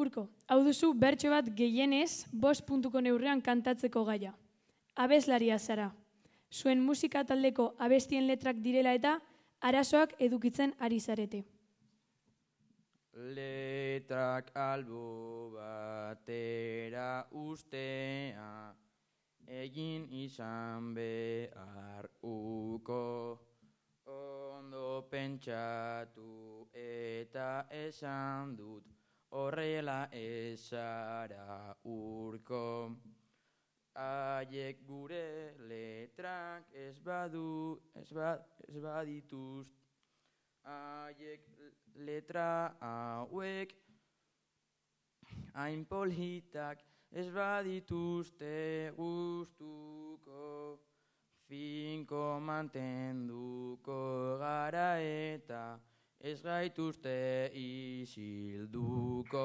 Urko, hau duzu bertso bat gehienez 5 puntuko neurrean kantatzeko gaia. Abeslaria zara. Zuen musika taldeko abestien letrak direla eta arazoak edukitzen ari zarete. Letrak albo batera ustea, egin izan behar uko. Ondo pentsatu eta esan dut, horrela ezara Urko. Haiek gure letrak ez badituzte. Haiek letra hauek hain politak ez badituzte gustuko. Finko mantenduko gara eta ez gaituzte isilduko.